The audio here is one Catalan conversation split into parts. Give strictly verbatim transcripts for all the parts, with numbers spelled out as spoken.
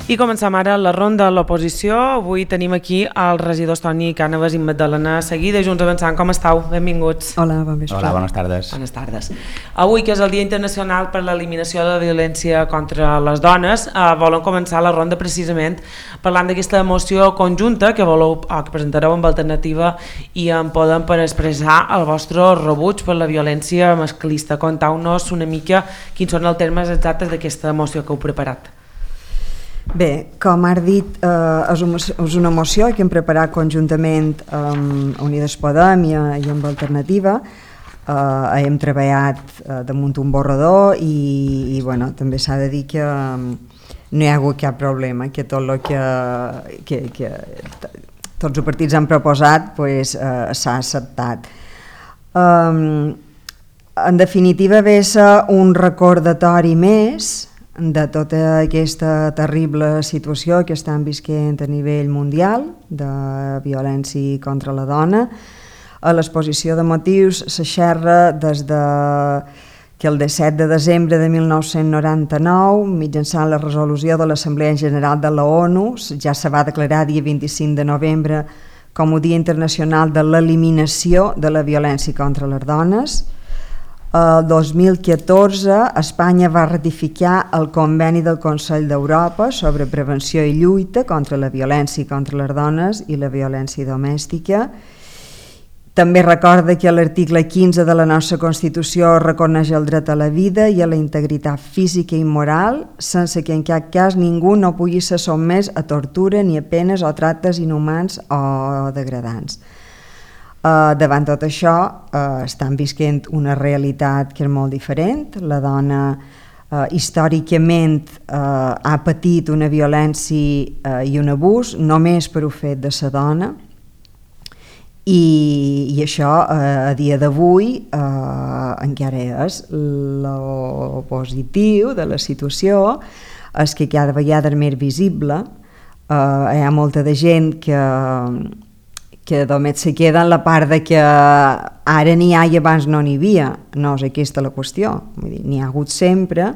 I comencem ara la ronda de l'oposició. Avui tenim aquí els regidors Toni Cànovas i Magdalena Seguí de Junts Avançant. Com estàu? Benvinguts. Hola, bon vespre. Hola, bones tardes. Bones tardes. Avui, que és el Dia Internacional per l'Eliminació de la Violència contra les Dones, eh, volen començar la ronda precisament parlant d'aquesta moció conjunta que voleu, o que presentareu amb Alternativa i en Podem per expressar el vostre rebuig per la violència masclista. Contau-nos una mica quins són els termes exactes d'aquesta moció que heu preparat. Bé, com has dit, eh, és una moció que hem preparat conjuntament amb Unides Podem i, i amb Alternativa. Eh, hem treballat eh, damunt un borrador i, i bueno, també s'ha de dir que um, no hi ha hagut cap problema, que tot el que, que, que tots els partits han proposat pues, eh, s'ha acceptat. Um, en definitiva, ve a ser un recordatori més de tota aquesta terrible situació que estan visquent a nivell mundial de violència contra la dona. A l'exposició de motius se xerra des de que el disset de desembre de mil nou-cents noranta-nou, mitjançant la resolució de l'Assemblea General de la ONU, ja se va declarar dia vint-i-cinc de novembre com a Dia Internacional de l'Eliminació de la Violència contra les Dones. El dos mil catorze Espanya va ratificar el conveni del Consell d'Europa sobre prevenció i lluita contra la violència contra les dones i la violència domèstica. També recorda que l'article quinze de la nostra Constitució reconeix el dret a la vida i a la integritat física i moral, sense que en cap cas ningú no pugui ser sotmès a tortura ni a penes o tractes inhumans o degradants. Uh, davant tot això uh, estan visquent una realitat que és molt diferent. La dona uh, històricament uh, ha patit una violència uh, i un abús només per el fet de ser dona i, i això uh, a dia d'avui uh, encara és lo positiu de la situació, és que cada vegada és més visible. Uh, hi ha molta de gent que que només se queda en la part de que ara n'hi ha i abans no n'hi havia. No és aquesta la qüestió. Vull dir, n'hi ha hagut sempre.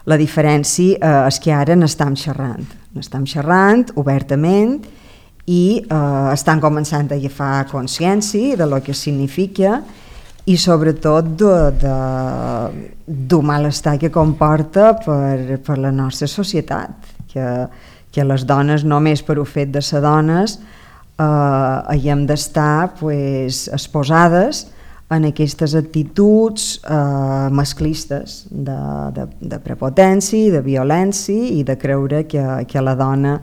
La diferència eh, és que ara n'estam xerrant. N'estam xerrant obertament i eh, estan començant a agafar consciència de lo que significa i sobretot de, de, del malestar que comporta per, per la nostra societat. Que, que les dones, només per el fet de ser dones, Uh, hem d'estar pues, exposades en aquestes actituds uh, masclistes de, de, de prepotència, de violència i de creure que, que la dona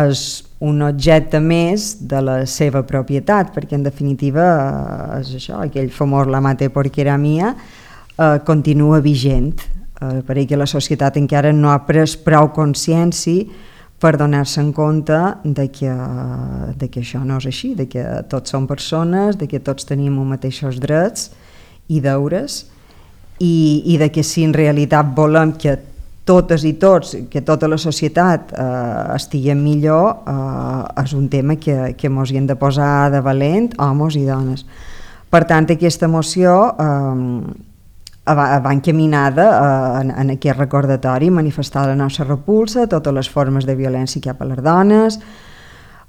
és un objecte més de la seva propietat, perquè en definitiva uh, és això, aquell famós la mate porque era mia uh, continua vigent, uh, perquè la societat encara no ha pres prou consciència per donar-se en compte de que, de que això no és així, de que tots som persones, de que tots tenim els mateixos drets i deures i, i de que si en realitat volem que totes i tots, que tota la societat eh, estiguem millor, eh, és un tema que, que mos hi hem de posar de valent, homes i dones. Per tant, aquesta moció eh, va encaminada en, en aquest recordatori, manifestar la nostra repulsa a totes les formes de violència cap a les dones,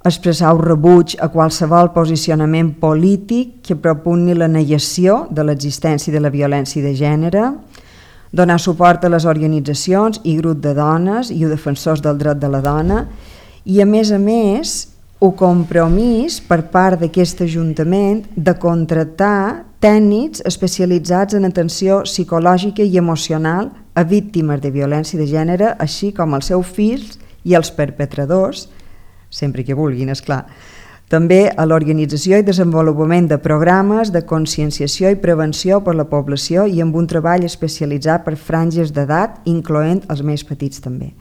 expressar un rebuig a qualsevol posicionament polític que propugni la negació de l'existència de la violència de gènere, donar suport a les organitzacions i grups de dones i defensors del dret de la dona i, a més a més, un compromís per part d'aquest Ajuntament de contractar tècnics especialitzats en atenció psicològica i emocional a víctimes de violència de gènere, així com als seus fills i als perpetradors, sempre que vulguin, esclar. També a l'organització i desenvolupament de programes de conscienciació i prevenció per la població i amb un treball especialitzat per franges d'edat, incloent els més petits també.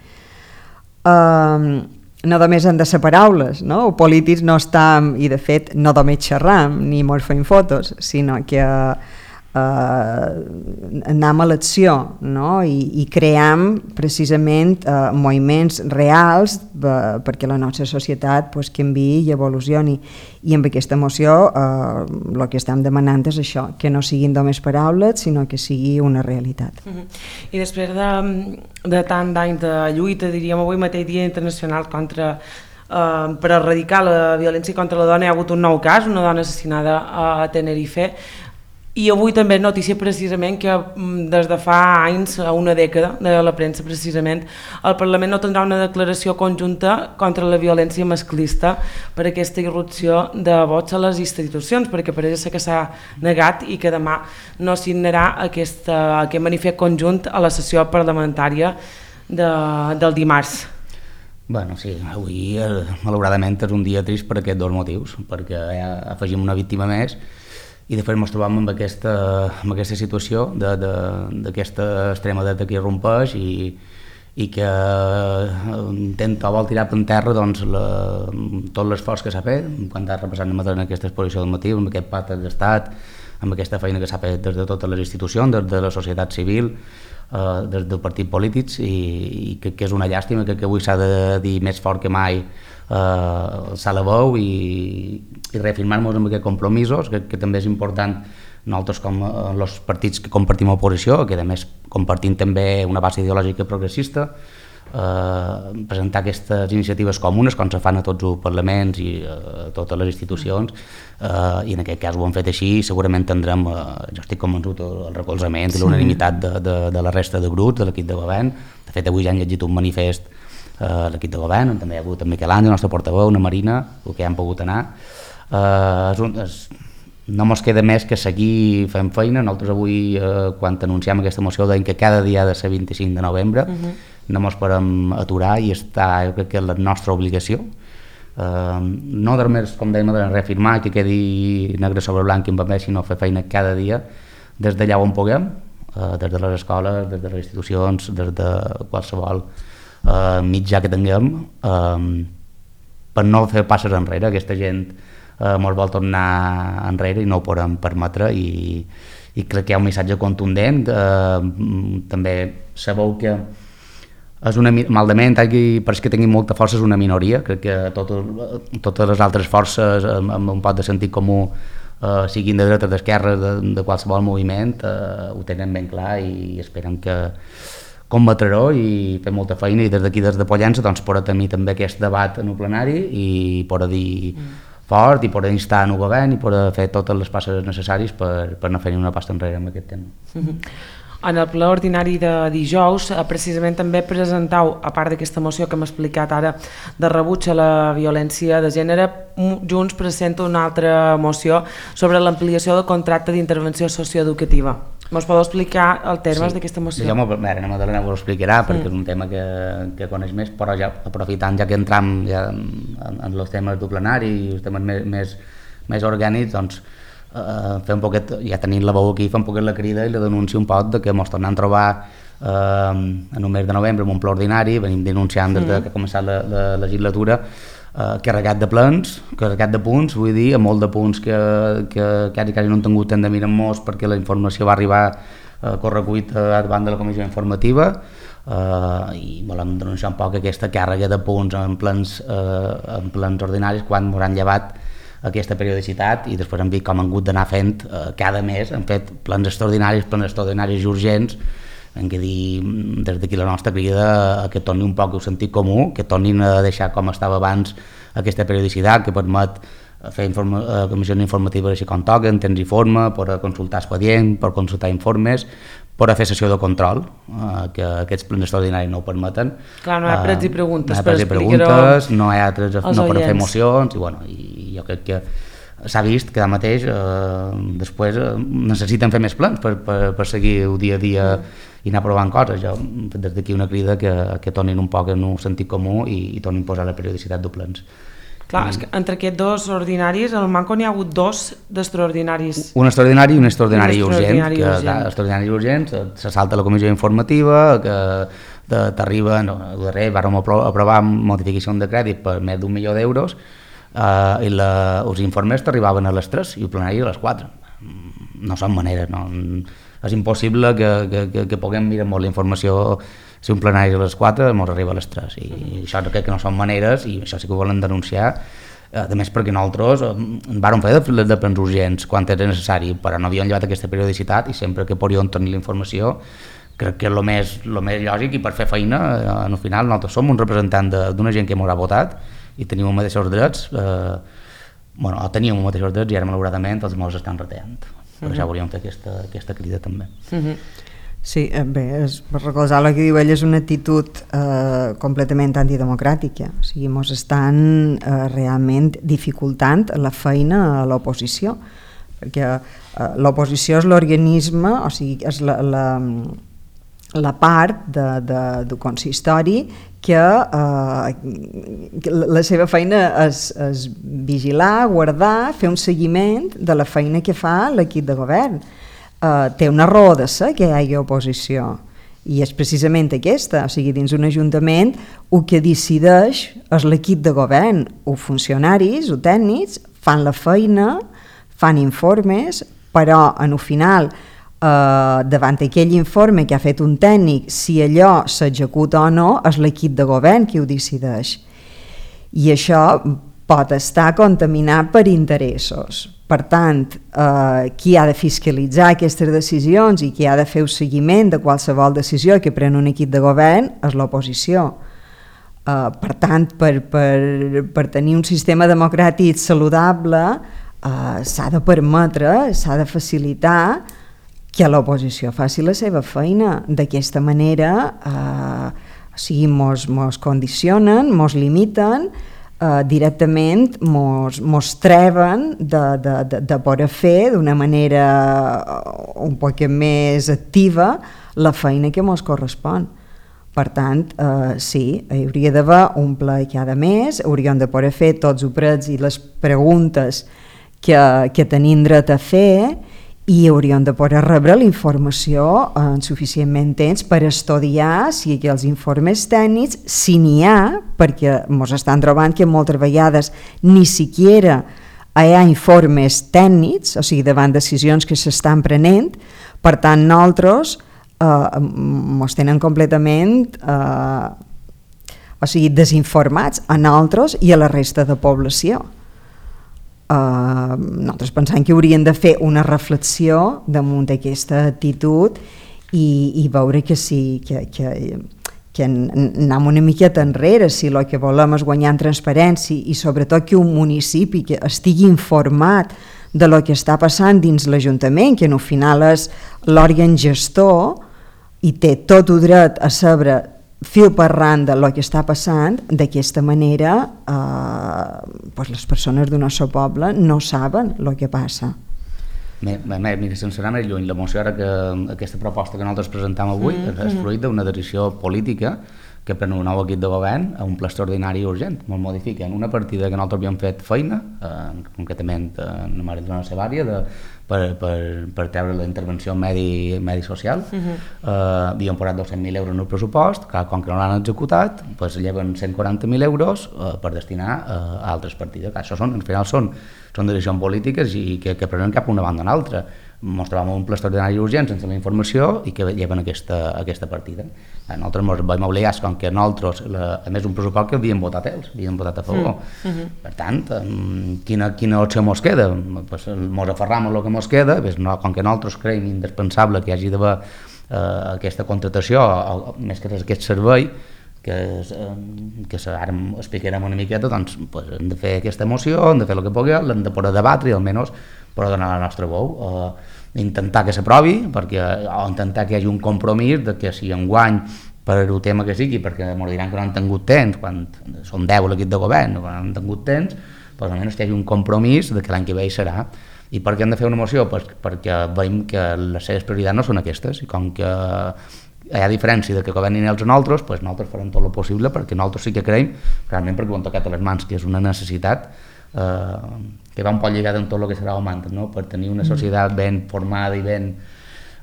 Um, no només han de ser paraules, no? Els polítics no estan, i de fet no només xerram ni mos fem fotos, sinó que eh, anem a l'acció, no? I, i cream precisament eh, moviments reals eh, perquè la nostra societat pues, canviï i evolucioni. I amb aquesta moció el eh, que estem demanant és això, que no siguin només paraules, sinó que sigui una realitat. Uh-huh. I després de, de tant d'anys de lluita, diríem avui mateix Dia Internacional contra Uh, per erradicar la violència contra la dona, hi ha hagut un nou cas, una dona assassinada a Tenerife, i avui també és notícia precisament que des de fa anys, a una dècada de la premsa precisament, el Parlament no tindrà una declaració conjunta contra la violència masclista per aquesta irrupció de vots a les institucions, perquè pareix que s'ha negat i que demà no signarà aquesta, aquest manifest conjunt a la sessió parlamentària de, del dimarts. Bueno, sí, avui eh, malauradament és un dia trist per aquests dos motius, perquè ja afegim una víctima més i després ens trobem amb aquesta, amb aquesta situació d'aquesta extrema dreta que irrompeix i, i que intenta o vol tirar per terra doncs, la, tot l'esforç que s'ha fet, quan està repassant en aquesta exposició del motiu, amb aquest pacte d'estat, amb aquesta feina que s'ha fet des de totes les institucions, des de la societat civil, Uh, des dels partits polítics i, i que, que és una llàstima que, que avui s'ha de dir més fort que mai uh, alçar la veu i, i reafirmar-nos amb aquests compromisos que, que també és important nosaltres com uh, els partits que compartim oposició, que a més compartim també una base ideològica progressista, uh, presentar aquestes iniciatives comunes com se fan a tots els parlaments i uh, a totes les institucions. Uh, i en aquest cas ho hem fet així i segurament tindrem, uh, jo estic convençut, el recolzament i l'unanimitat de, de, de la resta de grups, de l'equip de govern. De fet, avui ja han llegit un manifest uh, l'equip de govern, també hi ha hagut en Miquel Àngel, el nostre portaveu, una Marina, el que han pogut anar. Uh, és un, és, no ens queda més que seguir fent feina. Nosaltres avui, uh, quan anunciem aquesta moció, deim que cada dia ha de ser vint-i-cinc de novembre, uh-huh. no ens podem aturar i està, jo crec que és la nostra obligació. Uh, no només, com dèiem, de reafirmar que quedi negre sobre blanc i en paper, sinó fer feina cada dia des d'allà on puguem, uh, des de les escoles, des de les institucions, des de qualsevol uh, mitjà que tinguem, uh, per no fer passes enrere. Aquesta gent uh, ens vol tornar enrere i no ho podem permetre i, i crec que hi ha un missatge contundent. Uh, també sabeu que és una, malament, perquè tingui molta força, és una minoria. Crec que totes, totes les altres forces amb, amb un pot de sentit comú, eh, siguin de dreta, d'esquerra, de, de qualsevol moviment, eh, ho tenen ben clar i esperen que combatraró i fer molta feina, i des d'aquí, des de Pollença, doncs, poder tenir també aquest debat en el plenari i poder dir mm. fort i poder instar en el govern i poder fer totes les passes necessàries per, per no fer ni una passa enrere amb aquest tema. Mm-hmm. En el ple ordinari de dijous, precisament també presentau, a part d'aquesta moció que hem explicat ara de rebuig a la violència de gènere, Junts presenta una altra moció sobre l'ampliació del contracte d'intervenció socioeducativa. Mos podeu explicar els termes sí. d'aquesta moció? Jo, ara, la Madalena ho explicarà perquè mm. és un tema que, que coneix més, però ja aprofitant ja que entram ja en, en els temes del plenari i els temes més, més, més orgànics, doncs Uh, fer un poquet, ja tenint la veu aquí, fer un poquet la crida i la denúncia un poc de que ens tornem a trobar uh, en un mes de novembre amb un ple ordinari, venim denunciant des de que ha començat la, la legislatura, uh, carregat de plens, carregat de punts, vull dir, amb molt de punts que, que quasi, quasi no han tingut temps de mirar molts perquè la informació va arribar uh, correcuita davant de la comissió informativa. Uh, i volem denunciar un poc aquesta càrrega de punts en plens, uh, en plens ordinaris quan ens han llevat aquesta periodicitat i després hem vist com han hagut d'anar fent eh, cada mes, han fet plans extraordinaris, plans extraordinaris urgents, en què dir des d'aquí la nostra crida que torni un poc el sentit comú, que tornin a deixar com estava abans aquesta periodicitat que permet fer informa, eh, comissions informatives així com toquen, temps i forma, per consultar expedient, per consultar informes, per a fer sessió de control, eh, que aquests plens extraordinaris no ho permeten. Clar, no hi ha prets i preguntes, no hi ha prets i preguntes, no hi ha altres, no per fer mocions, i, bueno, i jo crec que s'ha vist que ara mateix eh, després eh, necessiten fer més plans per, per, per seguir el dia a dia i anar provant coses. Jo, des d'aquí una crida que, que tornin un poc en un sentit comú i, i tornin a posar la periodicitat de plens. Clar, és que entre aquests dos ordinaris, al Manco n'hi ha hagut dos d'extraordinaris. Un extraordinari i un extraordinari, un extraordinari urgent, urgent. que extraordinari urgent, se salta la comissió informativa, que t'arriba, no, el darrer vàrem aprovar modificació de crèdit per més d'un milió d'euros, eh, i la, els informes t'arribaven a les tres i el plenari a les quatre. no són maneres, no? És impossible que, que, que, que puguem mirar molt la informació. Si un plenari a les quatre ens arriba a les tres, i mm. això crec que no són maneres, i això sí que ho volen denunciar, a més perquè nosaltres en vàrem fer de, de plens urgents quan era necessari, però no havíem llevat aquesta periodicitat, i sempre que podíem tenir la informació crec que és el més, lo més lògic, i per fer feina, al final nosaltres som un representant d'una gent que ens ha votat i tenim els mateixos drets, eh, bueno, teníem els mateixos drets i ara malauradament els ens estan reteant. Per mm-hmm. això volíem fer aquesta, aquesta crida també. Mm-hmm. Sí, bé, és, per recolzar el que diu ell, és una actitud eh, completament antidemocràtica, o sigui, ens estan eh, realment dificultant la feina a l'oposició, perquè eh, l'oposició és l'organisme, o sigui, és la, la, la part de, de, del consistori que, eh, que la seva feina és, és vigilar, guardar, fer un seguiment de la feina que fa l'equip de govern. Uh, té una raó de ser que hi hagi oposició, i és precisament aquesta, o sigui, dins un ajuntament el que decideix és l'equip de govern, o funcionaris o tècnics fan la feina, fan informes, però en el final uh, davant aquell informe que ha fet un tècnic, si allò s'executa o no, és l'equip de govern qui ho decideix, i això pot estar contaminat per interessos. Per tant, eh, qui ha de fiscalitzar aquestes decisions i qui ha de fer el seguiment de qualsevol decisió que pren un equip de govern és l'oposició. Eh, per tant, per, per, per tenir un sistema democràtic saludable eh, s'ha de permetre, s'ha de facilitar que l'oposició faci la seva feina. D'aquesta manera, eh, o sigui, mos, mos condicionen, mos limiten, Uh, directament mos, mos treuen de, de, de, de poder fer d'una manera un poc més activa la feina que mos correspon. Per tant, uh, sí, hi hauria d'haver un ple cada mes, hauríem de poder fer tots els prets i les preguntes que, que tenim dret a fer, i hauríem de poder rebre la informació en suficientment temps per estudiar si hi ha els informes tècnics, si n'hi ha, perquè ens estan trobant que moltes vegades ni siquiera hi ha informes tècnics, o sigui, davant decisions que s'estan prenent. Per tant, nosaltres ens tenen completament eh, o sigui, desinformats a nosaltres i a la resta de població. Uh, nosaltres pensem que haurien de fer una reflexió damunt d'aquesta actitud i, i veure que sí, que, que, que anem una miqueta enrere si el que volem és guanyar en transparència, i sobretot que un municipi que estigui informat de lo que està passant dins l'Ajuntament, que al final és l'òrgan gestor i té tot el dret a saber fil per randa del que està passant. D'aquesta manera eh, pues les persones d'un nostre poble no saben el que passa. Mira, sense anar més lluny, la moció ara que aquesta proposta que nosaltres presentem avui mm -hmm. és fruit d'una decisió política que pren un nou equip de govern a un ple extraordinari urgent. Ens modifiquen una partida que nosaltres havíem fet feina, eh, concretament en la Maria Sebària, de, per, per, per treure la intervenció medi, medi social. Uh-huh. eh, havíem posat dos-cents mil euros en el pressupost, que com que no l'han executat, pues, lleven cent quaranta mil euros eh, per destinar eh, a altres partides. Això són, al final són, són decisions polítiques i que, que prenen cap una banda o una altra. Ens trobem un ple extraordinari urgent sense la informació i que lleven aquesta, aquesta partida. Nosaltres ens vam obligar, com que nosaltres, la, a més un pressupost que havíem votat ells, havíem votat a favor. Mm. Uh-huh. Per tant, quina, quina opció ens queda? Pues, ens aferram a el que ens queda, pues, no, com que nosaltres creiem indispensable que hi hagi d'haver eh, aquesta contratació, o, més que aquest servei, que, és, eh, que ara explicarem una miqueta, doncs pues, hem de fer aquesta moció, hem de fer el que puguem, l'hem de poder debatre i almenys per donar la nostra veu. Eh, intentar que s'aprovi, perquè, o intentar que hi hagi un compromís de que si enguany, per el tema que sigui, perquè ens diran que no han tingut temps, quan són deu l'equip de govern, quan no han tingut temps, doncs almenys que hi hagi un compromís de que l'any que ve hi serà. I per què hem de fer una moció? Pues perquè veiem que les seves prioritats no són aquestes, i com que hi ha diferència de que governin ells o nosaltres, pues nosaltres farem tot el possible perquè nosaltres sí que creiem, realment perquè ho hem tocat a les mans, que és una necessitat eh, que va un poc lligada amb tot el que serà el mantra, no? Per tenir una societat ben formada i ben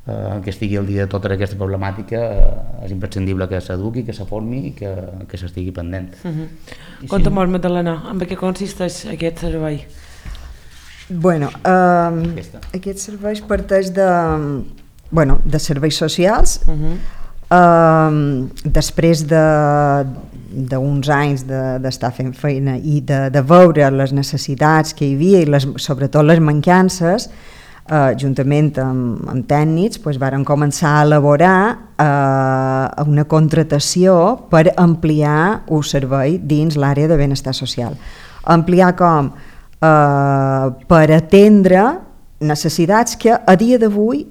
eh, que estigui al dia de tota aquesta problemàtica, eh, és imprescindible que s'eduqui, que se formi i que, que s'estigui pendent. Uh-huh. Conta'm, sí. Magdalena, en què consisteix aquest servei? Bueno, eh, aquest servei parteix de, bueno, de serveis socials. Uh-huh. eh, després de d'uns anys d'estar de, fent feina i de, de veure les necessitats que hi havia i les, sobretot les mancances, eh, juntament amb, amb tècnics, doncs varen començar a elaborar eh, una contratació per ampliar un servei dins l'àrea de benestar social. Ampliar com? Eh, per atendre necessitats que a dia d'avui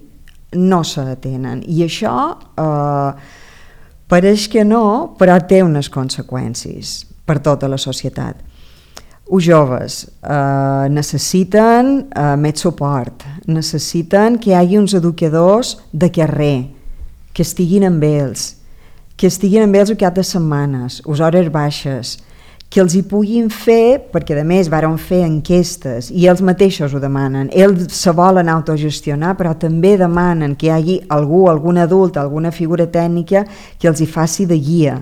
no s'atenen, i això eh, pareix que no, però té unes conseqüències per tota la societat. Els joves eh, necessiten eh, més suport, necessiten que hi hagi uns educadors de carrer, que estiguin amb ells, que estiguin amb ells el cap de setmanes, les hores baixes, que els hi puguin fer, perquè a més varen fer enquestes i ells mateixos ho demanen, ells se volen autogestionar, però també demanen que hi hagi algú, algun adult, alguna figura tècnica que els hi faci de guia.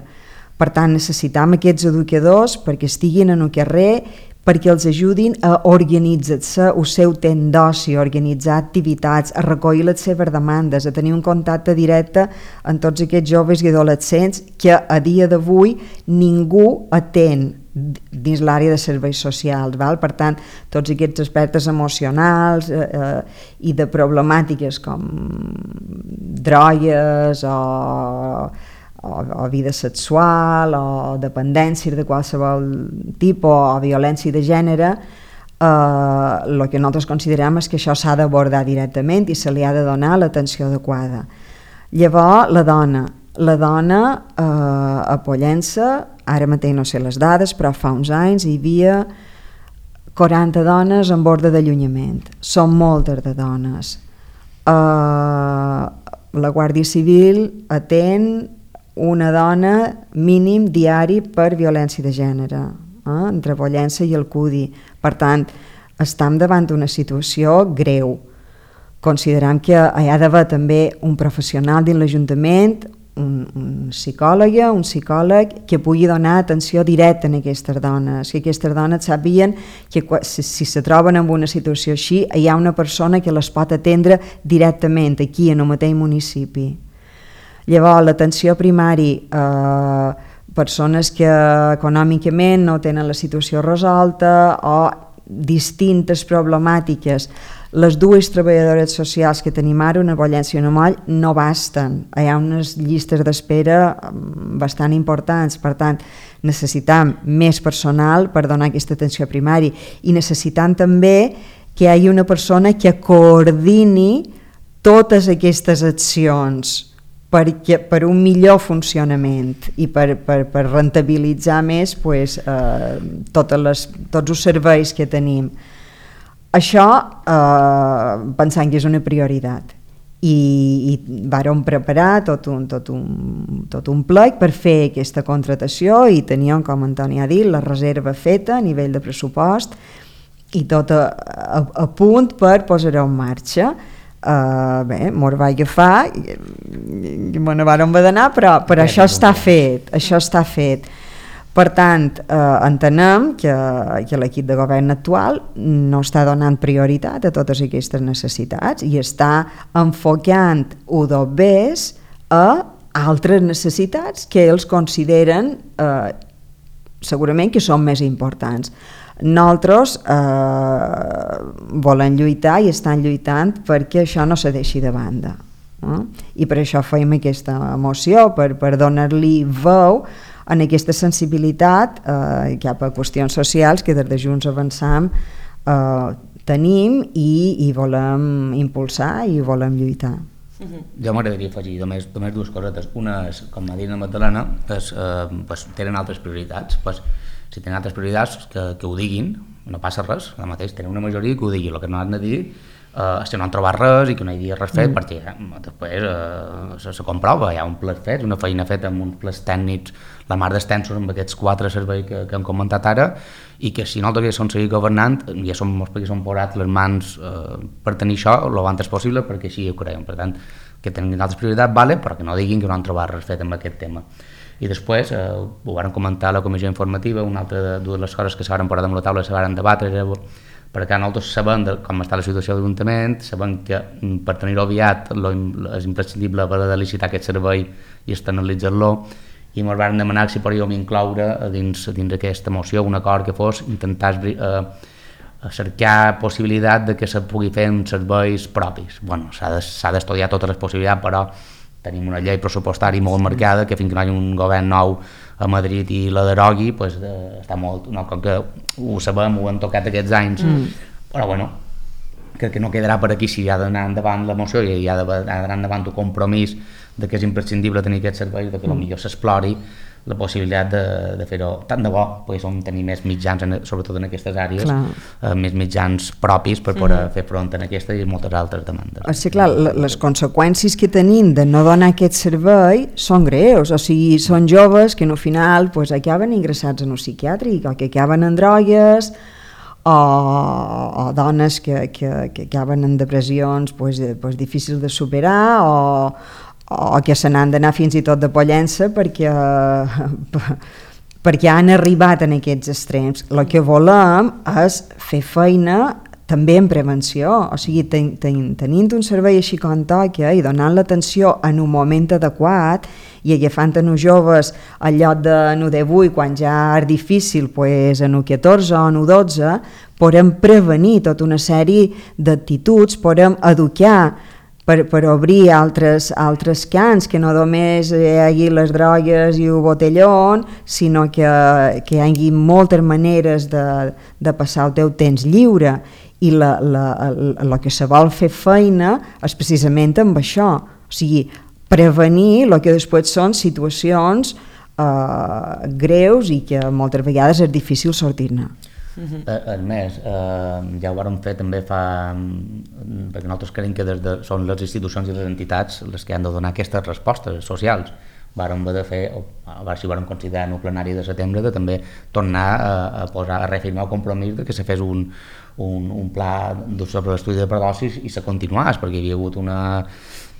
Per tant, necessitam aquests educadors perquè estiguin en el carrer, perquè els ajudin a organitzar-se el seu temps d'oci, a organitzar activitats, a recollir les seves demandes, a tenir un contacte directe amb tots aquests joves i adolescents que a dia d'avui ningú atén dins l'àrea de serveis socials. Val? Per tant, tots aquests aspectes emocionals eh, eh, i de problemàtiques com drogues o... O, o vida sexual, o dependència de qualsevol tipus, o violència de gènere, el eh, que nosaltres considerem és que això s'ha d'abordar directament i se li ha de donar l'atenció adequada. Llavors, la dona, la dona eh, a Pollença, ara mateix no sé les dades, però fa uns anys hi havia quaranta dones en ordre d'allunyament. Són moltes de dones. Eh, la Guàrdia Civil atén una dona mínim diari per violència de gènere, eh, entre Pollença i el C U D I. Per tant, estem davant d'una situació greu. Considerem que hi ha d'haver també un professional dins l'Ajuntament, un, un psicòloga, un psicòleg que pugui donar atenció directa a aquestes dones, que aquestes dones sàpiguen que si, si se troben en una situació així, hi ha una persona que les pot atendre directament aquí, en el mateix municipi. Llavors, l'atenció primària, eh, persones que econòmicament no tenen la situació resolta o distintes problemàtiques. Les dues treballadores socials que tenim ara, una Pollença i una Moll, no basten. Hi ha unes llistes d'espera bastant importants, per tant, necessitam més personal per donar aquesta atenció primària i necessitam també que hi hagi una persona que coordini totes aquestes accions perquè, per un millor funcionament i per, per, per rentabilitzar més pues, eh, totes les, tots els serveis que tenim. Això eh, pensant que és una prioritat i, i vàrem preparar tot un, tot, un, tot un plec per fer aquesta contratació i teníem, com Antoni ha dit, la reserva feta a nivell de pressupost i tot a, a, a punt per posar-ho en marxa. Uh, bé, mos va agafar i, i me n'haurem d'anar, però, però això està fet, això està fet. Per tant, eh, entenem que, que l'equip de govern actual no està donant prioritat a totes aquestes necessitats i està enfocant U dos Bs a altres necessitats que ells consideren eh, segurament que són més importants. Nosaltres eh, volem lluitar i estan lluitant perquè això no se deixi de banda. Eh? I per això fem aquesta moció, per, per donar-li veu en aquesta sensibilitat eh, cap a qüestions socials que des de Junts Avançam eh, tenim i, i volem impulsar i volem lluitar. Uh-huh. Jo m'agradaria afegir només, només dues cosetes. Una és, com ha dit la Magdalena, és, eh, pues, tenen altres prioritats. Pues, si tenen altres prioritats, que, que ho diguin, no passa res, ara mateix tenen una majoria que ho digui. El que no han de dir eh, és que no han trobat res i que no hi havia res fet, mm. perquè eh, després eh, se, se comprova, hi ha un plet fet, una feina feta amb uns plets tècnics, la mar d'extensos amb aquests quatre serveis que, que hem comentat ara, i que si nosaltres ja som seguir governant, ja som, perquè som posat les mans eh, per tenir això el abans possible, perquè així ho creiem. Per tant, que tenen altres prioritats, vale, però que no diguin que no han trobat res fet amb aquest tema. I després, eh, ho vam comentar a la comissió informativa, una altra de dues de les coses que s'han posat damunt la taula i s'han debatre era perquè nosaltres sabem de com està la situació de l'Ajuntament, sabem que per tenir-ho aviat és imprescindible haver de licitar aquest servei i externalitzar-lo, i ens van demanar si podíem incloure dins, dins aquesta moció un acord que fos intentar eh, cercar possibilitat de que se pugui fer uns serveis propis. Bueno, s'ha d'estudiar totes les possibilitats, però tenim una llei pressupostària molt marcada que fins que no hi ha un govern nou a Madrid i la derogui, pues, eh, està molt, no, com que ho sabem, ho hem tocat aquests anys, mm. però bueno, crec que no quedarà per aquí si ha d'anar endavant la moció i ha d'anar endavant el compromís de que és imprescindible tenir aquest servei, de que mm. potser s'explori la possibilitat de, de fer-ho tant de bo, perquè som tenir més mitjans, en, sobretot en aquestes àrees, eh, més mitjans propis per poder mm. fer front a aquesta i moltes altres demandes. O sigui, clar, les conseqüències que tenim de no donar aquest servei són greus, o sigui, són joves que al final pues, acaben ingressats en un psiquiàtric o que acaben en drogues, o, o dones que, que, que acaben en depressions pues, pues, difícils de superar, o o que se n'han d'anar fins i tot de pollença perquè, perquè han arribat en aquests extrems. El que volem és fer feina també en prevenció, o sigui, ten, ten, tenint un servei així com toca i donant l'atenció en un moment adequat i agafant en els joves al lloc de en u divuit, quan ja és difícil, pues, en u catorze o en u dotze, podem prevenir tota una sèrie d'actituds, podem educar Per, per obrir altres, altres camps, que no només hi hagi les drogues i el botellón, sinó que, que hi hagi moltes maneres de, de passar el teu temps lliure. I la, la, la, la que se vol fer feina és precisament amb això, o sigui, prevenir el que després són situacions eh, greus i que moltes vegades és difícil sortir-ne. Uh-huh. A més, eh, ja ho vam fer també fa... perquè nosaltres creiem que des de, són les institucions i les entitats les que han de donar aquestes respostes socials. Vàrem haver de fer, a veure si ho vam considerar en el plenari de setembre, de també tornar a, a posar, a reafirmar el compromís de que se fes un, un, un pla sobre l'estudi de predocis i se continués, perquè hi havia hagut una...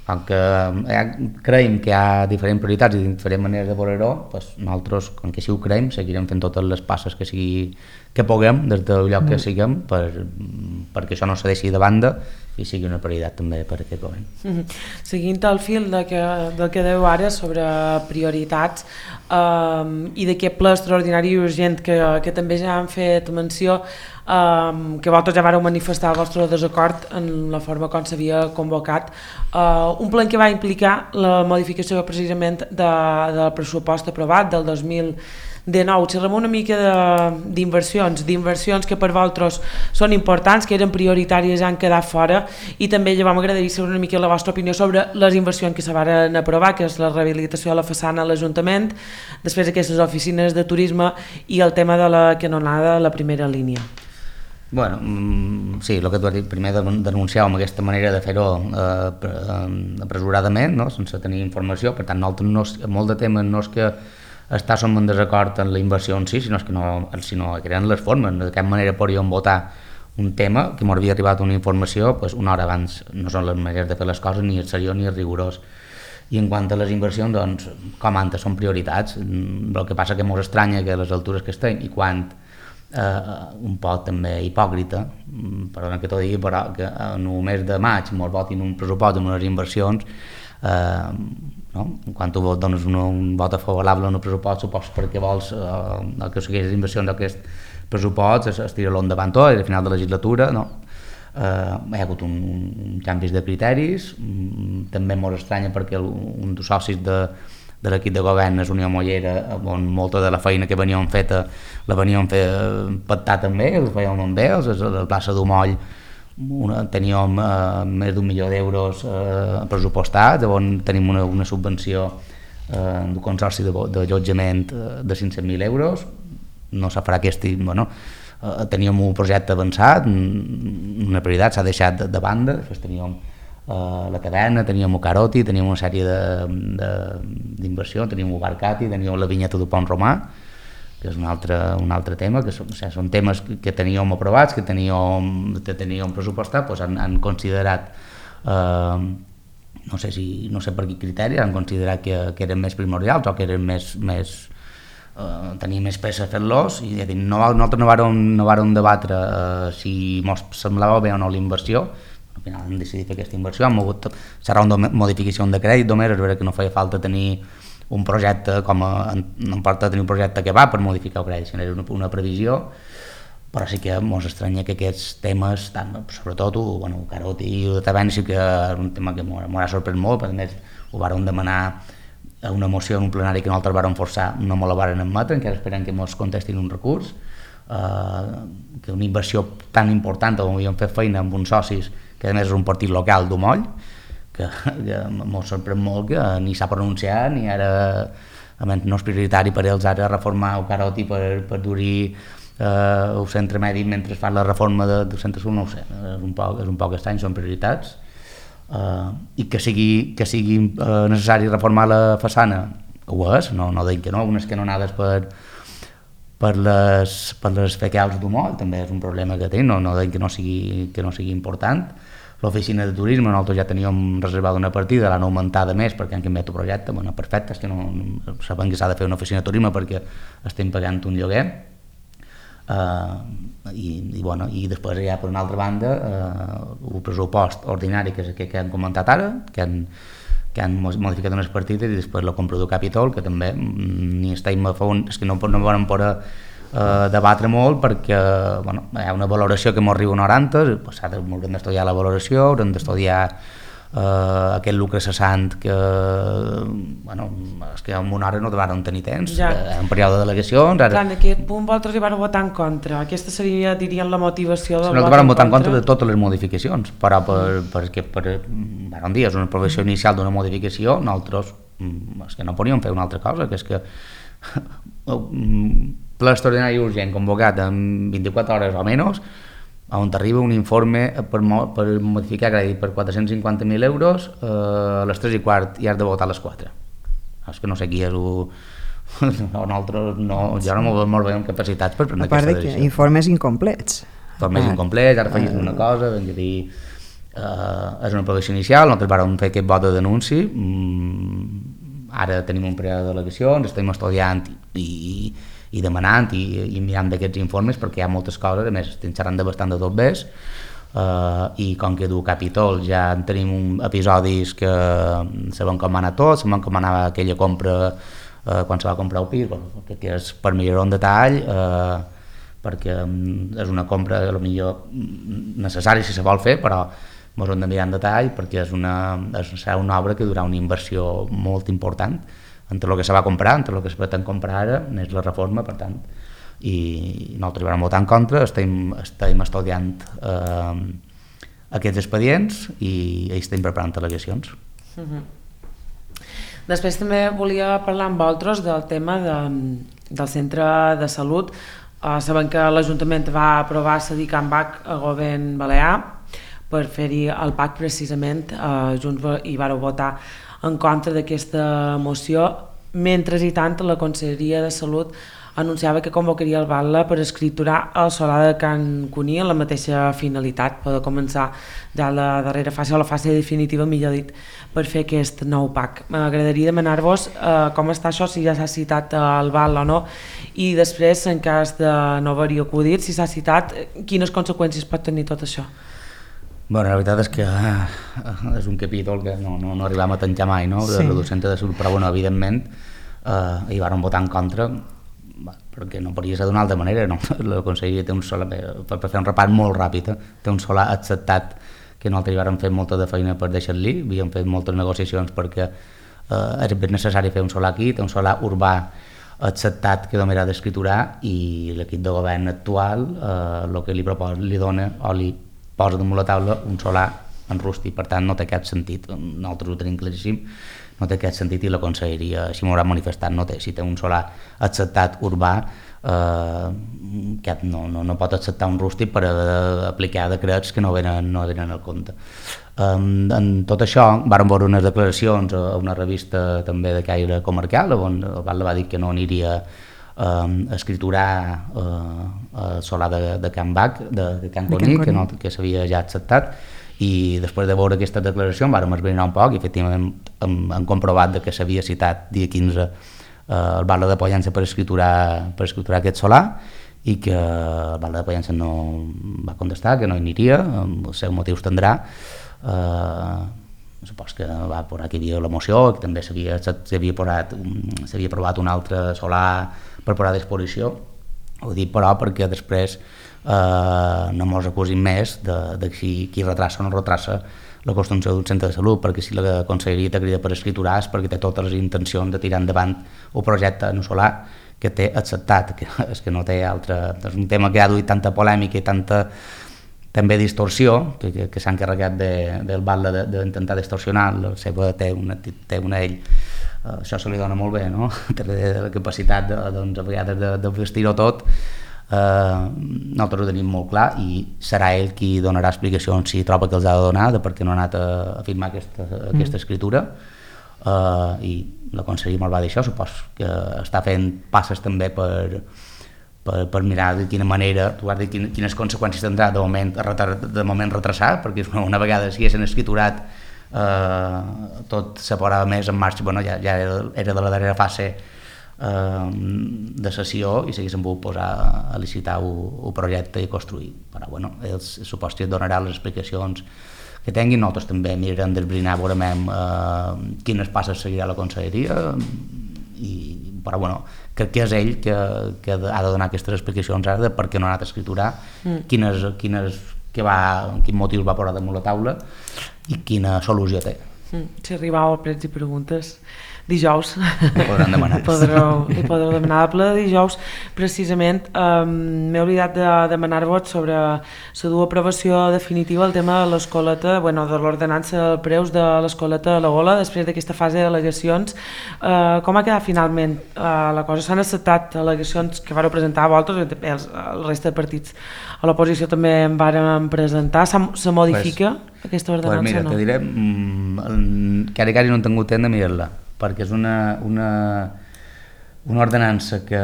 Aunque eh, creiem que hi ha diferents prioritats i diferents maneres de veure-ho, doncs nosaltres, com que sí ho creiem, seguirem fent totes les passes que, sigui, que puguem des del lloc que siguem per, perquè això no se deixi de banda i sigui una prioritat també per aquest govern. Mm-hmm. Seguint el fil de que, del que deu ara sobre prioritats um, i d'aquest ple extraordinari i urgent que, que també ja han fet menció, Um, que vosaltres ja vareu manifestar el vostre desacord en la forma com s'havia convocat, uh, un pla que va implicar la modificació precisament de, del pressupost aprovat del dos mil dinou. Xerrem una mica d'inversions, d'inversions que per vosaltres són importants, que eren prioritàries i han quedat fora, i també llavors m'agradaria saber una mica la vostra opinió sobre les inversions que se van aprovar, que és la rehabilitació de la façana a l'Ajuntament, després aquestes oficines de turisme i el tema de la canonada a la primera línia. Bueno, sí, el que tu has dit, primer denunciar amb aquesta manera de fer-ho eh, apresuradament, no? Sense tenir informació, per tant, no, molt de temes no és que està som en desacord en la inversió en si, sinó que, no, sinó que eren les formes, de cap manera podríem votar un tema que m'hauria arribat una informació pues, una hora abans. No són les maneres de fer les coses, ni és seriós ni és rigorós. I en quant a les inversions, doncs, com antes, són prioritats. El que passa que mos estranya que a les altures que estem i quan Uh, un poc també hipòcrita, perdona que t'ho digui, però que en el mes de maig mos votin un pressupost amb unes inversions, uh, no? Quan tu dones un, un vot favorable en el pressupost, supos perquè vols uh, que aquestes inversions d'aquest pressupost es, es tira-lo endavant tot i al final de la legislatura, no? Uh, hi ha hagut un, un canvis de criteris, um, també mos estranya perquè un dels socis de de l'equip de govern és Unió Mollera, on molta de la feina que veníem feta la veníem fer pactar també, ho fèiem amb ells, a la plaça d'Umoll teníem eh, més d'un milió d'euros eh, pressupostats, on tenim una, una subvenció eh, d'un consorci d'allotjament de cinc-cents mil euros, no se farà aquest, bueno, eh, teníem un projecte avançat, una prioritat s'ha deixat de, de banda, després teníem Uh, la caverna, teníem el Caroti, teníem una sèrie d'inversió, teníem el Barcati, teníem la vinyeta del Pont Romà, que és un altre, un altre tema, que són, o sigui, són temes que, que teníem aprovats, que teníem, que teníem pressupostat, doncs han, han considerat, uh, no sé si no sé per quin criteri, han considerat que, que eren més primordials o que eren més, més uh, tenia més pressa a fer-los i ja dic, no, nosaltres no vàrem, no vàrem debatre uh, si ens semblava bé o no la inversió. Al final hem decidit fer aquesta inversió, hem mogut serà una modificació de crèdit només, és vera que no feia falta tenir un projecte com a, no importa tenir un projecte que va per modificar el crèdit, sinó era una, una previsió, però sí que ens estranya que aquests temes, tant, sobretot bueno, Carot i de Tabany, sí que és un tema que m'ha sorprès molt, perquè a més ho vàrem demanar a una moció en un plenari que nosaltres vàrem forçar, no me la varen admetre, encara esperem que ens contestin un recurs, eh, que una inversió tan important on havíem fet feina amb uns socis, que a més és un partit local d'Umoll, que, que m'ho sorprèn molt que ni s'ha pronunciat, ni ara, a menys no és prioritari per ells ara reformar el Carot i per, per dur-hi Uh, el centre mèdic mentre fan la reforma de, del centre sud, no ho sé, és un poc, és un poc estrany, són prioritats, uh, i que sigui, que sigui uh, necessari reformar la façana, ho és, no, no dic que no, unes canonades per, per les, per les fecals d'Umoll, també és un problema que té, no, no dic que no sigui, que no sigui important. L'oficina de turisme, nosaltres ja teníem reservada una partida, l'han augmentada més perquè han canviat el projecte, bueno, perfecte, és que no, no sabem que s'ha de fer una oficina de turisme perquè estem pagant un lloguer. Uh, i, i, bueno, i després hi ha per una altra banda uh, el pressupost ordinari que és el que, que han comentat ara, que han, que han modificat unes partides, i després la compra del Capitol, que també ni estem a fons, és que no, no vam poder uh, debatre molt perquè bueno, hi ha una valoració que ens arriba a noranta, pues, ara haurem d'estudiar la valoració, haurem d'estudiar Uh, aquest lucre cessant que bueno, és que en una hora no van tenir temps, ja. En període de delegacions ara... Clar, en aquest punt vosaltres hi van votar en contra, aquesta seria, diríem, la motivació del vot en contra. Van votar en contra de totes les modificacions, però per, perquè per, per un dia és una aprovació inicial d'una modificació, nosaltres és que no podíem fer una altra cosa, que és que ple extraordinari urgent convocat en vint-i-quatre hores o menys, on arriba un informe per, per modificar crèdit per quatre-cents cinquanta mil euros eh, a les tres i quart i has de votar a les quatre. És que no sé qui és el... Nosaltres no, ja no molt veiem capacitats per prendre aquesta decisió. A part de que informes incomplets. Informes incomplets, ara faig una cosa, vam dir, eh, és una aprovació inicial, nosaltres vam fer aquest vot de denunci, mm, ara tenim un període de delegacions, estem estudiant i, i demanant i, i mirant d'aquests informes perquè hi ha moltes coses, a més estem xerrant de bastant de tot bé, uh, i com que du Capitol ja tenim un, episodis que sabem com va anar tot, sabem com anava aquella compra uh, quan se va comprar el pis, bueno, que, que és per millorar un detall, uh, perquè um, és una compra a lo millor necessària si se vol fer, però ens hem de mirar en detall perquè és una, és, serà una obra que durà una inversió molt important entre el que se va comprar, entre el que es pretén comprar ara, és la reforma, per tant, i nosaltres hi vam votar en contra, estem, estem estudiant eh, aquests expedients i estem preparant al·legacions. Uh-huh. Després també volia parlar amb vosaltres del tema de, del centre de salut. Uh, sabem que l'Ajuntament va aprovar cedir Can Bac a Govern Balear per fer-hi el P A C precisament, uh, Junts hi vàreu votar en contra d'aquesta moció, mentre i tant la Conselleria de Salut anunciava que convocaria el Batlle per escriturar el solar de Can Cuní amb la mateixa finalitat, per començar ja la darrera fase o la fase definitiva, millor dit, per fer aquest nou P A C. M'agradaria demanar-vos eh, com està això, si ja s'ha citat el Batlle o no, i després, en cas de no haver-hi acudit, si s'ha citat, quines conseqüències pot tenir tot això? Bueno, la veritat és que uh, és un capítol que no, no, no arribem a tancar mai, no? De sí. El centre de salut, però bueno, evidentment uh, hi van votar en contra, perquè no podria ser d'una altra manera, no? La Conselleria té un solar, per, per fer un repàs molt ràpid, eh? Té un solar acceptat que nosaltres hi vam fer molta de feina per deixar-li, havíem fet moltes negociacions perquè uh, és ben necessari fer un solar aquí, té un solar urbà acceptat que només ha d'escriturar i l'equip de govern actual el uh, que li proposa, li dona o li posa damunt la taula un solar en rústic, per tant no té cap sentit, nosaltres ho tenim claríssim, no té cap sentit i la Conselleria, si m'ho haurà manifestat, no té, si té un solar acceptat urbà, eh, que no, no, no pot acceptar un rústic per aplicar decrets que no venen, no venen al compte. Um, en tot això vàrem veure unes declaracions a una revista també de caire comarcal, on el Batlle va dir que no aniria Uh, escriturar uh, el solar de, de Can Bac, de, de Can Cuní, que, no, que s'havia ja acceptat, i després de veure aquesta declaració vàrem esbrinar un poc i efectivament hem, hem comprovat que s'havia citat dia quinze eh, el Batlle de Pollença per escriturar, per escriturar aquest solar, i que el Batlle de Pollença no va contestar, que no hi aniria, els seus motius tindrà. Eh, supos que va posar que hi havia la moció, que també s'havia aprovat un altre solar per posar d'exposició. Ho dic però perquè després eh, no mos acusin més de, de qui, qui retrassa o no retrassa la construcció d'un centre de salut, perquè si la Conselleria te crida per escriturar és perquè té totes les intencions de tirar endavant un projecte en solar que té acceptat, que és que no té altre... És un tema que ha duit tanta polèmica i tanta també distorsió, que, que, que s'ha encarregat de, del Batlle d'intentar distorsionar, la seva té una, té una ell, uh, això se li dona molt bé, no? Té la capacitat de, doncs, a vegades de, de vestir-ho tot. Uh, nosaltres ho tenim molt clar i serà ell qui donarà explicacions si troba que els ha de donar de per què no ha anat a, a firmar aquesta, aquesta escritura. Uh, i la Conselleria me'l va dir això, supos que està fent passes també per, per, per mirar de quina manera, tu has dit quines, quines conseqüències tindrà de moment, de moment retrasar, perquè una vegada si haguessin escriturat uh, tot se posava més en marxa, bueno, ja, ja era, era de la darrera fase de sessió i s'haguessin pogut posar a licitar el projecte i construir, però bueno, ells supos que donaran les explicacions que tinguin. Nosaltres també mirarem d'esbrinar, veurem eh, quines passes seguirà la Conselleria, i, però bueno, crec que és ell que, que ha de donar aquestes explicacions ara de per què no ha anat a escriturar, mm. quines, quines, que va, quins motius va posar damunt la taula i quina solució té. Mm. Si arribava a prets i preguntes dijous podran demanar. podreu, i podreu demanar. A ple de dijous, precisament, um, m'he oblidat de demanar-vos sobre la dur aprovació definitiva el tema de l'escoleta, bueno, de l'ordenança de preus de l'escoleta a la Gola, després d'aquesta fase d'al·legacions. Uh, com ha quedat finalment uh, la cosa? S'han acceptat al·legacions que vareu presentar a vosaltres, els, el resta de partits a l'oposició també en varen presentar. Se modifica pues, aquesta ordenança? Pues mira, no? te diré, mm, que ara quasi no he tingut temps de mirar-la, perquè és una, una, una ordenança que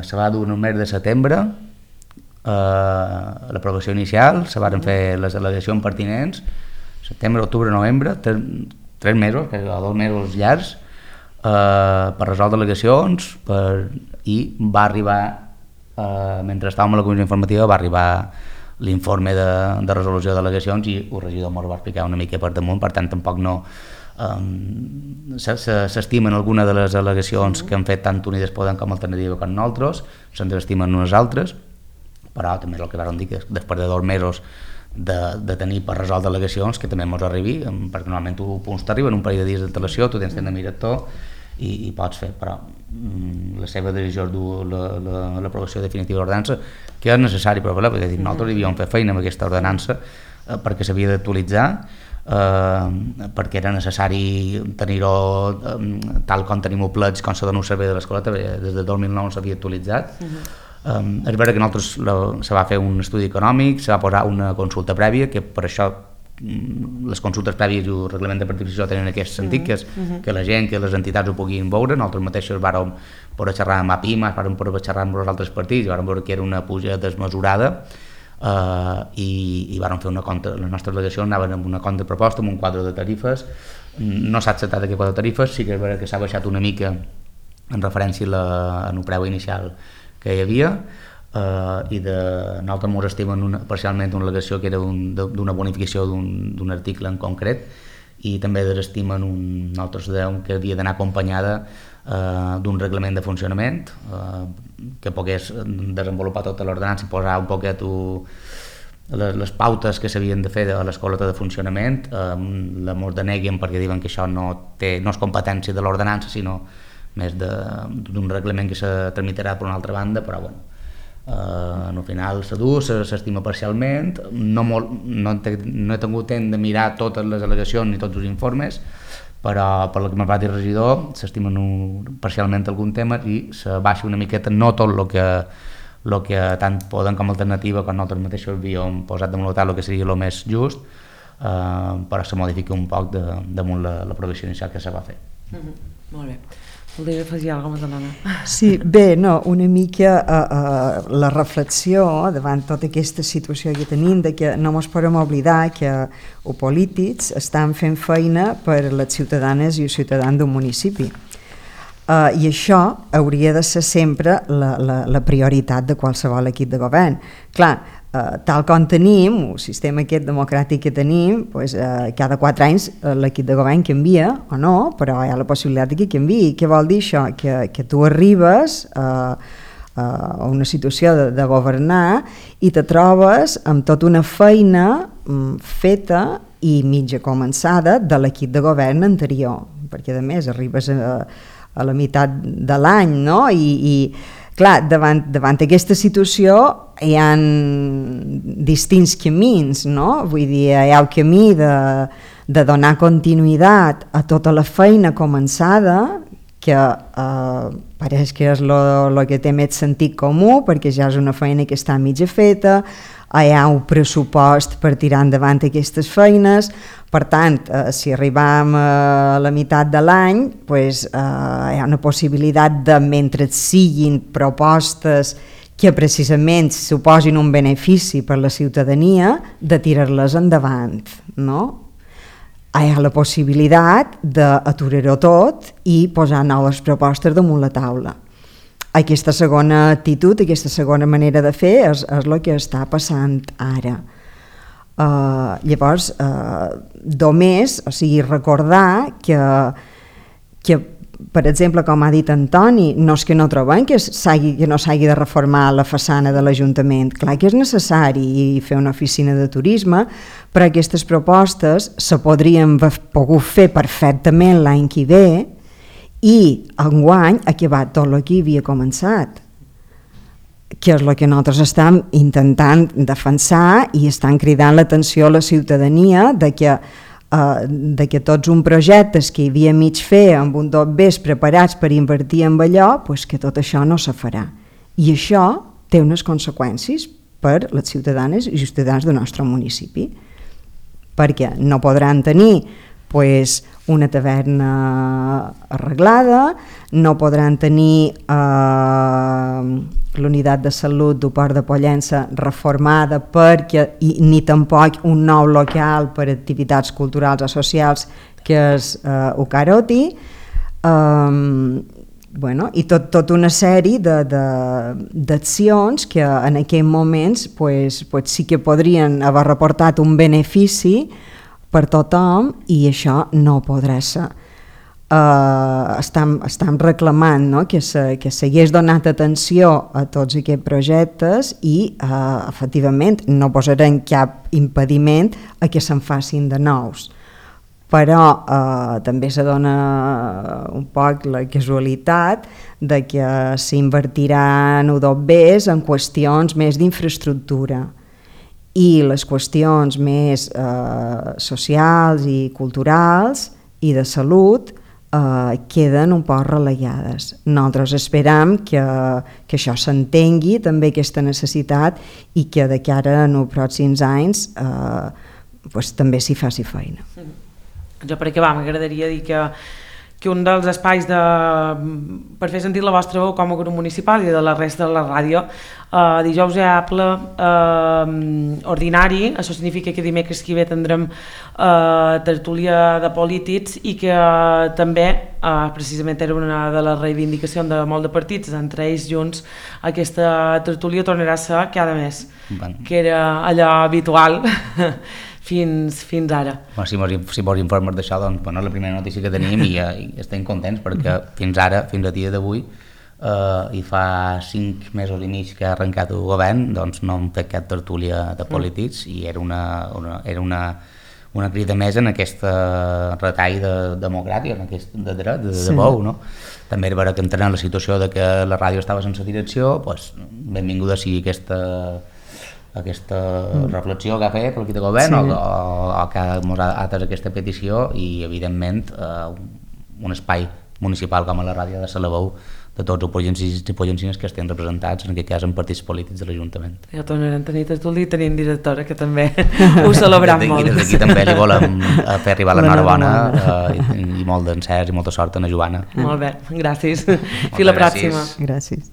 se va dur en el mes de setembre, eh, l'aprovació inicial, se van fer les al·legacions pertinents, setembre, octubre, novembre, tres, tres mesos, que dos mesos llargs, eh, per resoldre al·legacions, per, i va arribar, eh, mentre estàvem a la comissió informativa, va arribar l'informe de, de resolució d'al·legacions i el regidor m'ho va explicar una mica per damunt, per tant tampoc no... Um, s'estimen algunes de les al·legacions que han fet tant Unides Podem com Alternativa com nosaltres, se'n desestimen unes altres, però també és el que vam dir, que després de dos mesos de, de tenir per resoldre al·legacions, que també ens arribi, perquè normalment tu punts t'arriben un parell de dies d'antelació, tu tens temps de mirar-t'ho i, i pots fer, però um, la seva decisió és dur l'aprovació la, la, definitiva de l'ordenança, que és necessari, però perquè nosaltres havíem fet feina amb aquesta ordenança eh, perquè s'havia d'actualitzar, Uh, perquè era necessari tenir-ho um, tal com tenim el plets, com se dona un servei de l'escoleta, des de dos mil nou s'havia actualitzat. Uh-huh. um, és vera que nosaltres la, se va fer un estudi econòmic, se va posar una consulta prèvia, que per això um, les consultes prèvies i el reglament de participació tenen aquest sentit, uh-huh. que, és, uh-huh. que la gent, que les entitats ho puguin veure. Nosaltres mateixos vàrem poder xerrar amb A P I M A, vàrem poder xerrar amb els altres partits, vàrem veure que era una puja desmesurada. Uh, i, i vàrem fer una contra, les nostres al·legacions anaven amb una contraproposta, amb un quadre de tarifes. No s'ha acceptat aquest quadre de tarifes, sí que és vera que s'ha baixat una mica en referència a la, en el preu inicial que hi havia, uh, i de, nosaltres ens estimen una, parcialment una al·legació que era d'una bonificació d'un article en concret, i també desestimen un, nosaltres deuen que havia d'anar acompanyada Uh, d'un reglament de funcionament uh, que pogués desenvolupar tota l'ordenança i posar un poquet uh, les, les pautes que s'havien de fer a l'escoleta de funcionament. Uh, la mos deneguen perquè diuen que això no, té, no és competència de l'ordenança, sinó més d'un reglament que se tramitarà per una altra banda, però bueno, uh, al final s'adú, s'estima parcialment. No, molt, no, he, no he tingut temps de mirar totes les al·legacions ni tots els informes, però per el que m'ha dit el regidor s'estimen parcialment algun tema i se baixa una miqueta, no tot el que, lo que tant Podem com Alternativa com nosaltres mateixos havíem posat damunt la taula que seria el més just, eh, però se modifica un poc de, damunt l'aprovació inicial que se va fer. Mm-hmm. Molt bé. Voldria afegir alguna cosa, Magdalena? Sí, bé, no, una mica uh, uh, la reflexió davant tota aquesta situació que tenim, de que no ens podem oblidar que els polítics estan fent feina per les ciutadanes i els ciutadans d'un municipi. Uh, I això hauria de ser sempre la, la, la prioritat de qualsevol equip de govern. Clar, uh, tal com tenim, el sistema aquest democràtic que tenim, pues, uh, cada quatre anys uh, l'equip de govern canvia o no, però hi ha la possibilitat que canviï. Què vol dir això? Que, que tu arribes uh, uh, a una situació de, de governar i te trobes amb tota una feina um, feta i mitja començada de l'equip de govern anterior, perquè a més arribes a, a la meitat de l'any, no? I, i clar, davant, davant aquesta situació hi ha distints camins, no? Vull dir, hi ha el camí de, de donar continuïtat a tota la feina començada, que eh, pareix que és el que té més sentit comú, perquè ja és una feina que està mitja feta, hi ha un pressupost per tirar endavant aquestes feines, per tant, eh, si arribam a la meitat de l'any, pues, eh, hi ha una possibilitat de, mentre siguin propostes que precisament suposin un benefici per la ciutadania, de tirar-les endavant, no? Hi ha la possibilitat d'aturar-ho tot i posar noves propostes damunt la taula. Aquesta segona actitud, aquesta segona manera de fer és, és el que està passant ara. Uh, llavors, uh, només, o sigui, recordar que, que, per exemple, com ha dit Antoni, no és que no trobem que, que no s'hagi de reformar la façana de l'Ajuntament. Clar que és necessari fer una oficina de turisme, però aquestes propostes se podrien pogut fer perfectament l'any que ve, i enguany ha acabat tot el que havia començat, que és el que nosaltres estem intentant defensar i estan cridant l'atenció a la ciutadania de que, uh, de que tots uns projectes que hi havia mig fer amb un dos bes preparats per invertir en allò, pues que tot això no se farà. I això té unes conseqüències per les ciutadanes i ciutadans del nostre municipi, perquè no podran tenir pues, una taverna arreglada, no podran tenir eh, l'unitat de salut del Port de Pollença reformada perquè, i, ni tampoc un nou local per a activitats culturals o socials que és eh, Ucaroti, eh, bueno, i tot, tot una sèrie d'accions que en aquells moments pues, pues sí que podrien haver reportat un benefici per tothom i això no podrà ser. Uh, estem, estem reclamant, no? que, se, que s'hagués donat atenció a tots aquests projectes i uh, efectivament no posarem cap impediment a que se'n facin de nous. Però uh, també se dona un poc la casualitat de que s'invertiran o dos bes en qüestions més d'infraestructura, i les qüestions més eh, socials i culturals i de salut eh, queden un poc relegades. Nosaltres esperam que, que això s'entengui, també aquesta necessitat, i que de cara als pròxims anys eh, pues, també s'hi faci feina. Jo per acabar m'agradaria dir que que un dels espais de, per fer sentir la vostra veu com a grup municipal i de la resta de la ràdio, eh, dijous hi ha ple eh, ordinari, això significa que dimecres que ve tindrem eh, tertúlia de polítics i que eh, també, eh, precisament era una de les reivindicacions de molt de partits, entre ells Junts, aquesta tertúlia tornarà a ser cada mes, bueno, que era allò habitual fins, fins ara. Bueno, si, mos, si mos informes d'això, doncs, bueno, la primera notícia que tenim i, i estem contents perquè fins ara, fins a dia d'avui, eh, i fa cinc mesos i mig que ha arrencat el govern, doncs no hem fet cap tertúlia de polítics i era una, una, era una, una crida més en aquest retall de, democràtic, en aquest de dret, de, de, de bou, no? També era vera que entenent la situació de que la ràdio estava sense direcció, doncs, benvinguda sigui aquesta aquesta reflexió que ha fet l'equip de govern, sí, o, o, o que ha atès aquesta petició i evidentment eh, un espai municipal com a la ràdio de Salabou de tots els pollencins i pollencines que estem representats, en aquest cas en partits polítics de l'Ajuntament. Ja tornarem a tenir tertúlia i tenim directora, que també ho celebram molt. I des d'aquí també li volem fer arribar l'enhorabona eh, i, i molt d'encerts i molta sort a la Joana. Molt bé, gràcies. Fins la pròxima. Gràcies.